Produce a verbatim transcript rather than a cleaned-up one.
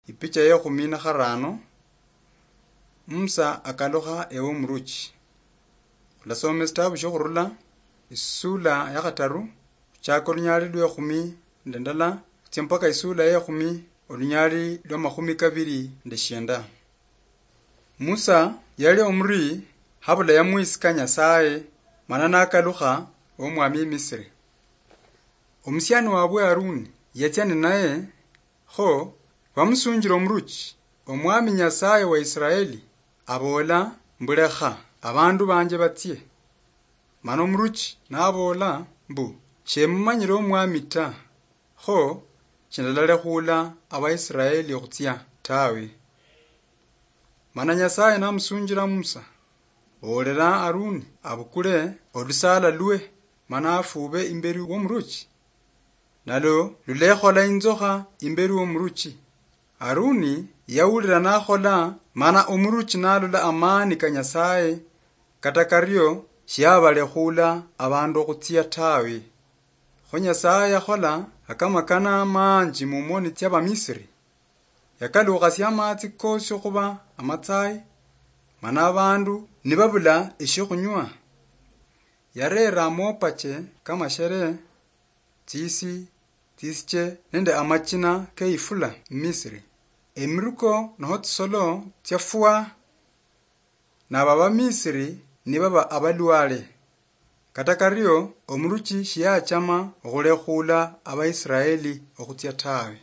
Ipicha yekhumi na kharano. Musa akalukha ewe omuruchi. Khulasoma esitabu shiokhurula, isula ya khataru, khuchaka olunyali lwekhumi nende ndala, khutsia mpaka isula yekhumi, olunyali lwa makhumi kabiri nende shienda. Musa yali omuri habula yamwisika Nyasaye, mana nakalukha omwami Misiri. Omusiani wabwe Haruni yatsia ninaye, kho bamusunjira omuruchi, omwami Nyasaye wa Israeli abola mbu, "Lekha abandu banje batsie." Mana omuruchi nabola mbu, "Shemumanyire omwami ta, kho shindalalekhuula Abaisiraeli okhutsia tawe." Mana Nyasaye namusunjira Musa, "Boolera Haruni abukule olusala lwe, mana afuube imberi womuruchi." Nalo lulekhola inzokha imberi womuruchi. Haruni yawulira nakhola, mana omuruchi nalola amani ka Nyasaye, kata kario shiabalekhuula abandu okhutsia tawe. Kho Nyasaye yakhola akamakana manji mumoni tsia Bamisiri. Yakalukhasia amatsi kosi okhuba amatsayi, mana abandu nibabula eshiokhunywa. Yarera amopache kamashere, tsisi, tsisiche nende amachina keifula Misiri. Emiruko noho tsisolo tsiafua, nabo Abamisiri nibaba abalwale. Kata kario, omuruchi shiyachama okhulekhuula Abaisiraeli okhutsia tawe.